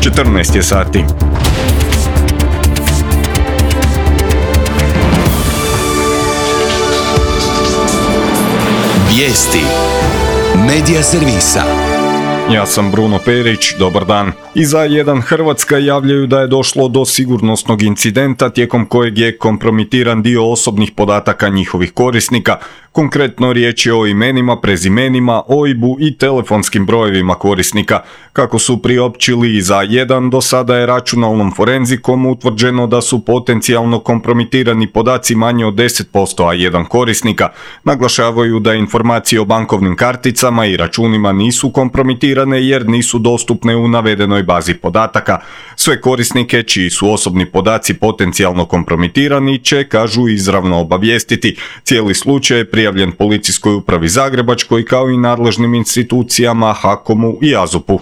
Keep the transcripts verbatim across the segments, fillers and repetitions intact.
četrnaest je sati. Vijesti Medija servisa. Ja sam Bruno Perić, dobar dan. I za jedan Hrvatska javljaju da je došlo do sigurnosnog incidenta tijekom kojeg je kompromitiran dio osobnih podataka njihovih korisnika. Konkretno riječ je o imenima, prezimenima, O I B-u i telefonskim brojevima korisnika. Kako su priopćili za jedan, do sada je računalnom forenzikom utvrđeno da su potencijalno kompromitirani podaci manje od deset posto A jedan korisnika. Naglašavaju da informacije o bankovnim karticama i računima nisu kompromitirane jer nisu dostupne u navedenoj bazi podataka. Sve korisnike čiji su osobni podaci potencijalno kompromitirani će, kažu, izravno obavijestiti. Cijeli slučaj je prijavljen Policijskoj upravi Zagrebačkoj kao i nadležnim institucijama HAKOM-u i A Z U P-u.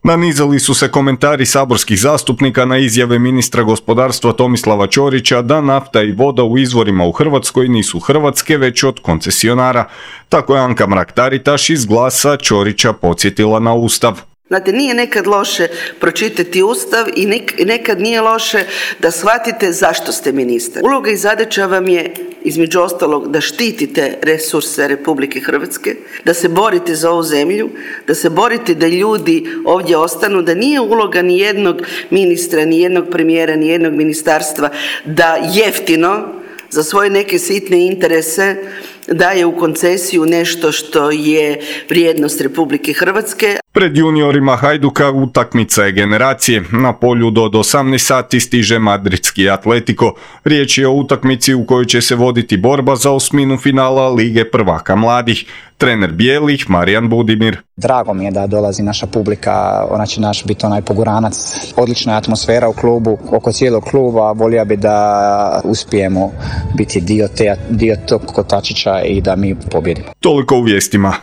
Nanizali su se komentari saborskih zastupnika na izjave ministra gospodarstva Tomislava Ćorića da nafta i voda u izvorima u Hrvatskoj nisu hrvatske već od koncesionara. Tako je Anka Mrak-Taritaš iz Glasa Ćorića podsjetila na Ustav. Znate, nije nekad loše pročitati Ustav i nekad nije loše da shvatite zašto ste ministar. Uloga i zadaća vam je, između ostalog, da štitite resurse Republike Hrvatske, da se borite za ovu zemlju, da se borite da ljudi ovdje ostanu, da nije uloga ni jednog ministra, ni jednog premijera, ni jednog ministarstva da jeftino za svoje neke sitne interese daje u koncesiju nešto što je vrijednost Republike Hrvatske. Pred juniorima Hajduka utakmica je generacije. Na polju do osamnaest sati stiže madridski Atletico. Riječ je o utakmici u kojoj će se voditi borba za osminu finala Lige prvaka mladih. Trener bijelih Marijan Budimir. Drago mi je da dolazi naša publika, ona će naš biti onaj poguranac. Odlična je atmosfera u klubu, oko cijelog kluba. Volio bi da uspijemo biti dio, te, dio tog kotačića i da mi pobjedimo. Toliko u vijestima.